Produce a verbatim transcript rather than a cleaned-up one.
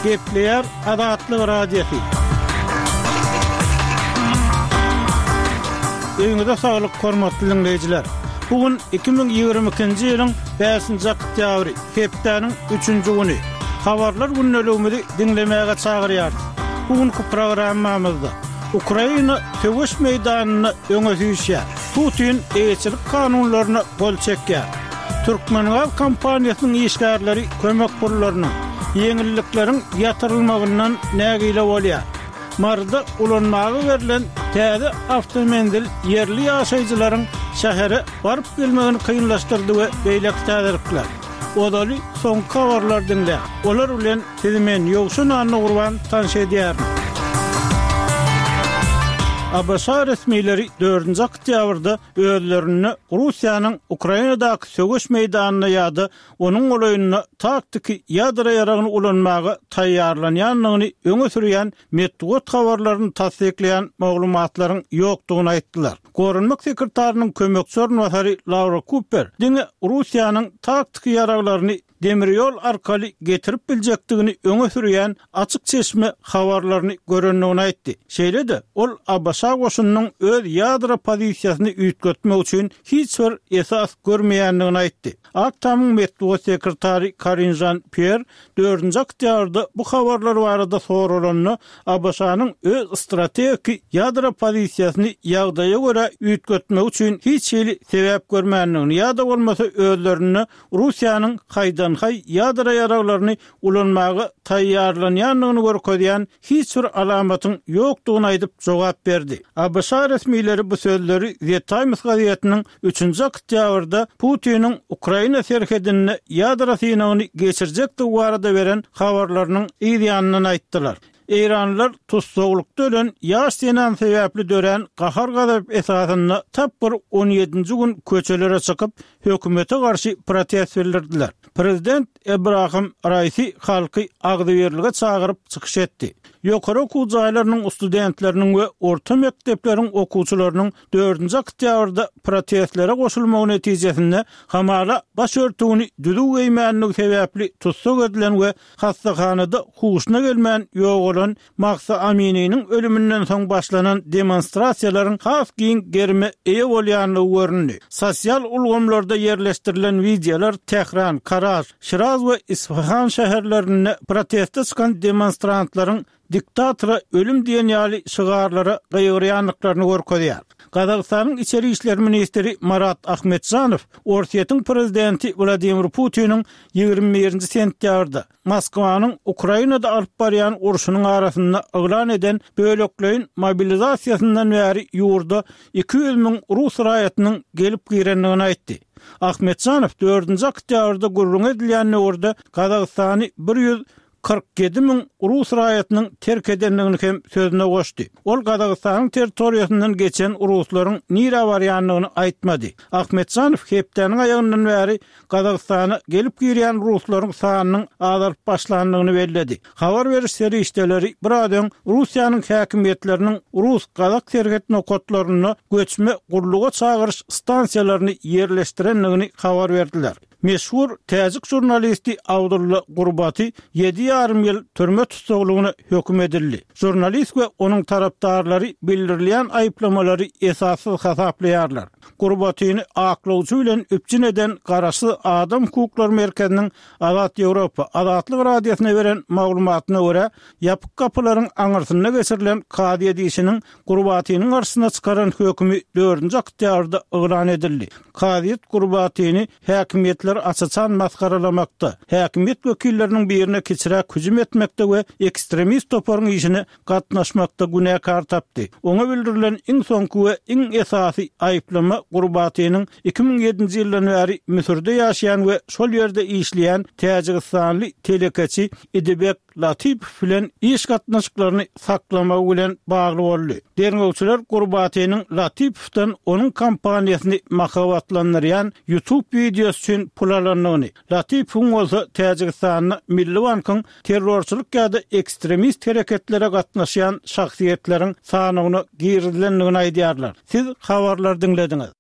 Gepleýär Azatlyk Radiosy. Öýüňize saglyk, hormatly diňleýjiler! Bu gün iki müň ýigrimi ikinji ýylyň bäşinji oktýabry, hepdäniň üçünji güni. Habarlar gündeligimizi diňlemäge çagyrýarys. Bu günki programmamyzda Ukraina söweş meýdanynda öňe süýşýär. Putin eýeçilik kanunlaryna gol çekýär. Türkmengaz kompaniýasynyň işgärleri kömek pullarynyň, ýeňillikleriň ýatyrylmagyndan nägile bolýar. Maryda ulanmaga berlen täze awtomenzil ýerli ýaşaýjylaryň şähere baryp-gelmegini kynlaşdyrdy we beýleki täzelikler. Ozaly soňky habarlary diňläň. Olar bilen sizi men, Ýowşan Annagurban tanyş edýärin. ABŞ resmileri dördünji oktýabrda özlerinde Russiýanyň Ukrainadaky söweş meýdanynda ýa-da onuň golaýynda taktiki ýadro ýaragyny ulanmaga taýýarlanýandygyny öňe sürýän metbugat habarlaryny tassyklaýan maglumatlaryň ýokdugyny aýtdylar. Goranmak sekretarynyň kömekçi orunbasary Laura Kuper diňe Russiýanyň taktiki ýaraglaryny demir ýol arkaly getirip biljekdigini öňe sürýän açyk çeşme habarlaryny görendigini aýtdy. Şeýle-de, ol ABŞ goşunynyň öz ýadro pozisiýasyny üýtgetmek üçin hiç bir esas görmeýändigini aýtdy. Ak Tamyň metbugat sekretary Karin Žan-Pýer dördünji oktýabrda bu habarlar barada soralanda, ABŞ-nyň öz strategiki ýadro pozisiýasyny ýagdaýa görä üýtgetmegi üçin hiç hili sebäp görmändigini ýa-da bolmasa özlerinde Russiýanyň haýdan-haý ýadro ýaraglaryny ulanmaga taýýarlanýandygyny görkezýän hiç bir alamatyň ýokdugyny aýdyp jogap berdi. ABŞ resmileri bu sözleri The Times gazetiniň üçünji oktýabrda Putiniň Ukraina serhedinde ýadro synagyny geçirjekdigi barada beren habarlarynyň yz ýanyndan aýtdylar. Eýranlylar tussaglykda ölen ýaş zenan sebäpli dörän gahar-gazap esasynda tapgyr on ýedinji gün köçelere çykyp, hökümete garşy protest bildirdiler. Prezident Ebrahim Raisi halky agzybirlige çagyryp çykyş etdi. Ýokary okuw jaýlarynyň studentleriniň we orta mekdepleriň okuwçylarynyň dördünji oktýabrda protestlere goşulmagy netijesinde hamala baş örtügini düzüw geýmänligi sebäpli tussag edilen we hassahanada huşuna gelmän ýogalan Mahsa Amininiň ölüminden soň başlanan demonstrasiýalaryň has giň gerime eýe bolýandygy göründi. Sosial ulgamlarda ýerleşdirilen wideolar Tähran, Karaj, Şiraz we Isfahan şäherlerinde proteste çykan demonstrantlaryň diktatora ölüm diýen ýaly şygarlara gygyrýandyklaryny görkezýär. Gazagystanyň içeri işler ministri Marat Ahmetjanow Orsýetiň prezidenti Wladimir Putiniň ýigrimi birinji sentýabrda Moskwanyň Ukrainada alyp barýan urşunyň arasynda yglan eden bölekleýin mobilizasiýasyndan bäri ýurda iki ýüz müň rus raýatynyň gelip girendigini aýtdy. Ahmetjanow dördünji oktýabrda gürrüňi edilýän döwürde Gazagystany bir ýüz kyrk ýedi müň rus raýatynyň terk edendigini hem sözüne goşdy. Ol Gazagystanyň territoriýasyndan geçen ruslaryň nirä barýandygyny aýtmady. Ahmetjanow hepdäniň aýagyndan bäri Gazagystana gelip girýän ruslaryň sanynyň azalyp başlandygyny belledi. Habar beriş serişdeleri biraz öň Russiýanyň häkimiýetleriniň rus-gazak serhet nokatlarynda göçme gulluga çagyryş stansiýalaryny ýerleşdirendigini habar berdiler. Meşhur täjik žurnalisti Abdulla Gurbaty ýedi ýarym ýyl türme tussaglygyna höküm edildi. Žurnalist we onuň tarapdarlary bildirilýän aýyplamalary esassyz hasaplaýarlar. Gurbatyny aklawçy bilen üpjün eden Garaşsyz adam hukuklary merkeziniň Azat Ýewropa, Azatlyk Radiosyna beren maglumatyna görä, ýapyk gapylaryň aňyrsynda geçirilen kazyýet işiniň Gurbatynyň garşysyna çykaran hökümi dördünji oktýabrda yglan edildi. Kazyýet Gurbatyny häkimiýetleri aç-açan masgaralamakda, häkimiýet wekilleriniň birine kiçiräk hüjüm etmekde we ekstremist toparyň işine gatnaşmakda günäkär tapdy. Oňa bildirilen iň soňky we iň esasy aýyplama Gurbatynyň iki müň ýedinji ýyldan bäri Müsürde ýaşaýan we şol ýerde işleýän täjigistanly telekeçi Idibek Latipow bilen iş gatnaşyklaryny saklamagy bilen bagly boldy. Derňewçiler Gurbatynyň Latipowdan onuň kompaniýasyny mahabatlandyrýan YouTube wideosy üçin pul alandygyny, Latipowyň bolsa Täjigistanda Milli bankyň terrorçylyk ýa-da ekstremist hereketlere gatnaşýan şahsyýetleriň sanawyna girizilendigini aýdýarlar. Siz habarlary diňlediňiz.